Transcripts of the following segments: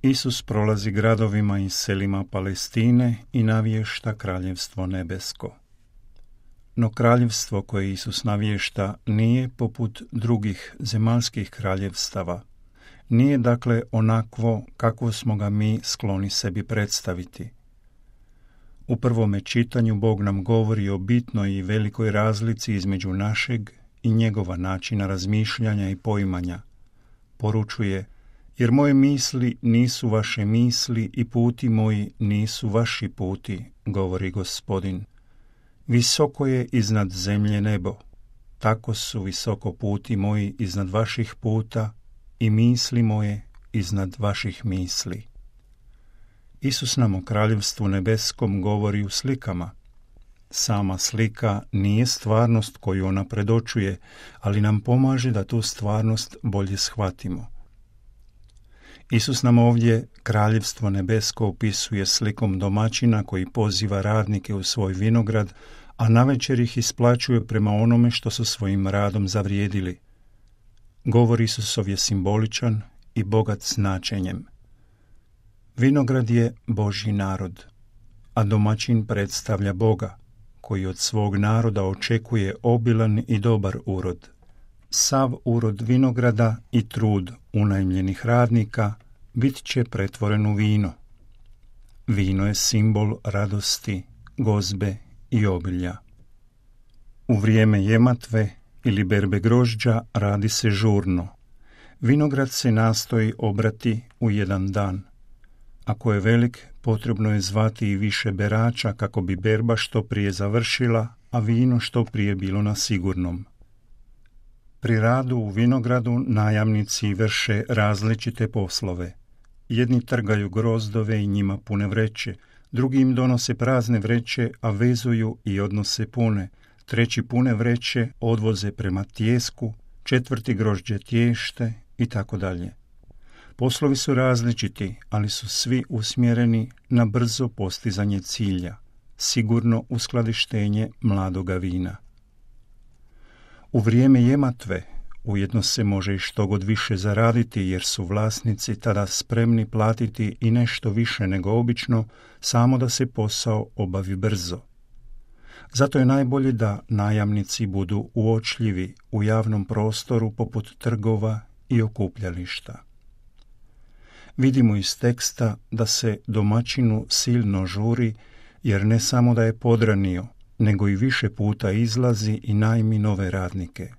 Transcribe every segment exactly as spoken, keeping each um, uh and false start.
Isus prolazi gradovima i selima Palestine i navješta kraljevstvo nebesko. No kraljevstvo koje Isus navješta nije poput drugih zemaljskih kraljevstava. Nije dakle onakvo kakvo smo ga mi skloni sebi predstaviti. U prvome čitanju Bog nam govori o bitnoj i velikoj razlici između našeg i njegova načina razmišljanja i poimanja. Poručuje: jer moje misli nisu vaše misli i puti moji nisu vaši puti, govori Gospodin. Visoko je iznad zemlje nebo, tako su visoko puti moji iznad vaših puta i misli moje iznad vaših misli. Isus nam o kraljevstvu nebeskom govori u slikama. Sama slika nije stvarnost koju ona predočuje, ali nam pomaže da tu stvarnost bolje shvatimo. Isus nam ovdje kraljevstvo nebesko opisuje slikom domaćina koji poziva radnike u svoj vinograd, a navečer ih isplaćuje prema onome što su svojim radom zavrijedili. Govor Isusov je simboličan i bogat značenjem. Vinograd je Božji narod, a domaćin predstavlja Boga, koji od svog naroda očekuje obilan i dobar urod. Sav urod vinograda i trud unajmljenih radnika bit će pretvoren u vino. Vino je simbol radosti, gozbe i obilja. U vrijeme jematve ili berbe grožđa radi se žurno. Vinograd se nastoji obrati u jedan dan. Ako je velik, potrebno je zvati i više berača kako bi berba što prije završila, a vino što prije bilo na sigurnom. Pri radu u vinogradu najamnici vrše različite poslove. Jedni trgaju grozdove i njima pune vreće, drugi im donose prazne vreće, a vezuju i odnose pune, treći pune vreće odvoze prema tijesku, četvrti grožđe tješte i tako dalje. Poslovi su različiti, ali su svi usmjereni na brzo postizanje cilja, sigurno uskladištenje mladoga vina. U vrijeme jematve ujedno se može i što god više zaraditi, jer su vlasnici tada spremni platiti i nešto više nego obično, samo da se posao obavi brzo. Zato je najbolje da najamnici budu uočljivi u javnom prostoru poput trgova i okupljališta. Vidimo iz teksta da se domaćinu silno žuri, jer ne samo da je podranio, nego i više puta izlazi i najmi nove radnike.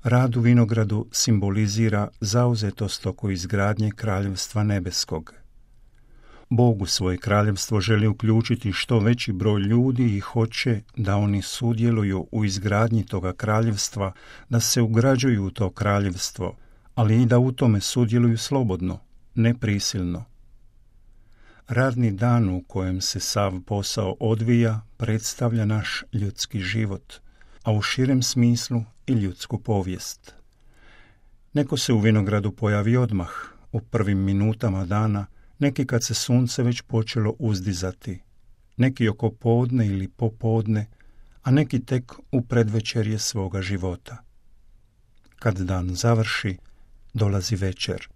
Rad u vinogradu simbolizira zauzetost oko izgradnje kraljevstva nebeskog. Bog u svoje kraljevstvo želi uključiti što veći broj ljudi i hoće da oni sudjeluju u izgradnji toga kraljevstva, da se ugrađuju u to kraljevstvo, ali i da u tome sudjeluju slobodno, ne prisilno. Radni dan u kojem se sav posao odvija predstavlja naš ljudski život, a u širem smislu i ljudsku povijest. Neko se u vinogradu pojavi odmah, u prvim minutama dana, neki kad se sunce već počelo uzdizati, neki oko podne ili popodne, a neki tek u predvečerje svoga života. Kad dan završi, dolazi večer,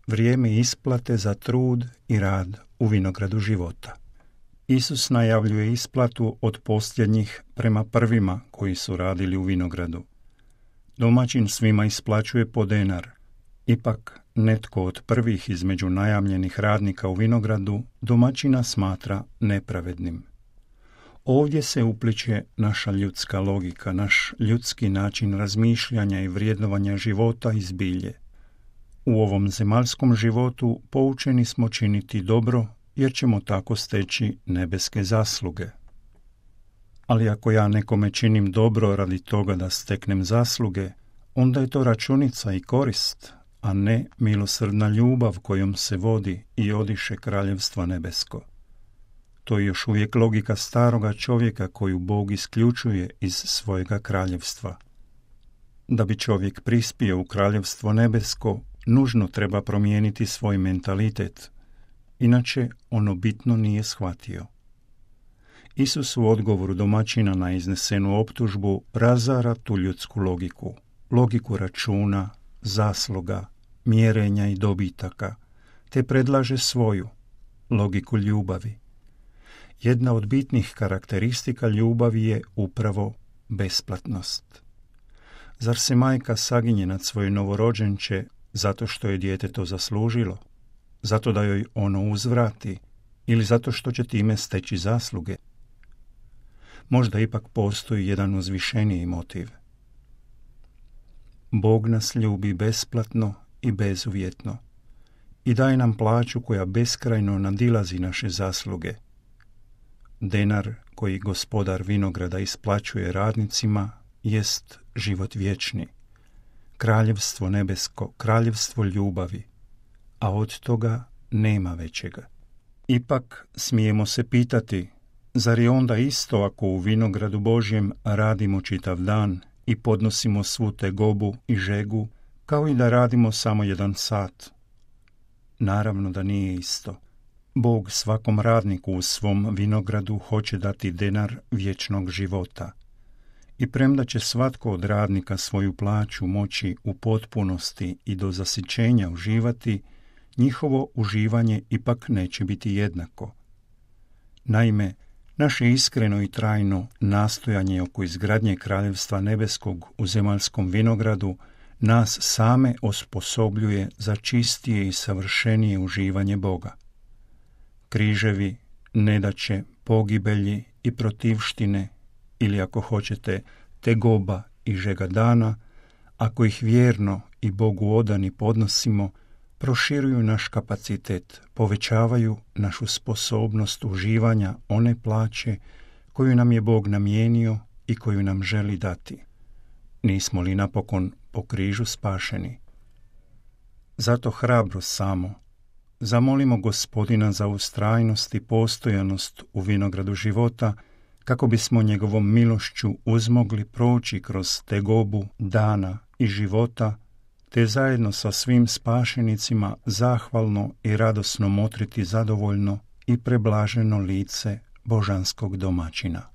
vrijeme isplate za trud i rad u vinogradu života. Isus najavljuje isplatu od posljednjih prema prvima koji su radili u vinogradu. Domaćin svima isplaćuje po denar. Ipak netko od prvih između najamljenih radnika u vinogradu domaćina smatra nepravednim. Ovdje se upliče naša ljudska logika, naš ljudski način razmišljanja i vrijednovanja života i zbilje. U ovom zemaljskom životu poučeni smo činiti dobro, jer ćemo tako steći nebeske zasluge. Ali ako ja nekome činim dobro radi toga da steknem zasluge, onda je to računica i korist, a ne milosrdna ljubav kojom se vodi i odiše kraljevstva nebesko. To je još uvijek logika staroga čovjeka koju Bog isključuje iz svojega kraljevstva. Da bi čovjek prispio u kraljevstvo nebesko, nužno treba promijeniti svoj mentalitet, inače ono bitno nije shvatio. Isus u odgovoru domaćina na iznesenu optužbu razara tu ljudsku logiku, logiku računa, zasluga, mjerenja i dobitaka, te predlaže svoju, logiku ljubavi. Jedna od bitnih karakteristika ljubavi je upravo besplatnost. Zar se majka saginje nad svoje novorođenče zato što je dijete to zaslužilo, zato da joj ono uzvrati ili zato što će time steći zasluge? Možda ipak postoji jedan uzvišeniji motiv. Bog nas ljubi besplatno i bezuvjetno i daje nam plaću koja beskrajno nadilazi naše zasluge. Denar koji gospodar vinograda isplaćuje radnicima jest život vječni, kraljevstvo nebesko, kraljevstvo ljubavi, a od toga nema većega. Ipak smijemo se pitati, zar je onda isto ako u vinogradu Božjem radimo čitav dan i podnosimo svu tegobu i žegu, kao i da radimo samo jedan sat? Naravno da nije isto. Bog svakom radniku u svom vinogradu hoće dati denar vječnog života. I premda će svatko od radnika svoju plaću moći u potpunosti i do zasićenja uživati, njihovo uživanje ipak neće biti jednako. Naime, naše iskreno i trajno nastojanje oko izgradnje kraljevstva nebeskog u zemaljskom vinogradu nas same osposobljuje za čistije i savršenije uživanje Boga. Križevi, nedaće, pogibelji i protivštine, ili ako hoćete, tegoba i žega dana, ako ih vjerno i Bogu odani podnosimo, proširuju naš kapacitet, povećavaju našu sposobnost uživanja one plaće koju nam je Bog namijenio i koju nam želi dati. Nismo li napokon po križu spašeni? Zato hrabro samo zamolimo Gospodina za ustrajnost i postojanost u vinogradu života, kako bismo njegovom milošću uzmogli proći kroz tegobu dana i života, te zajedno sa svim spašenicima zahvalno i radosno motriti zadovoljno i preblaženo lice božanskog domaćina.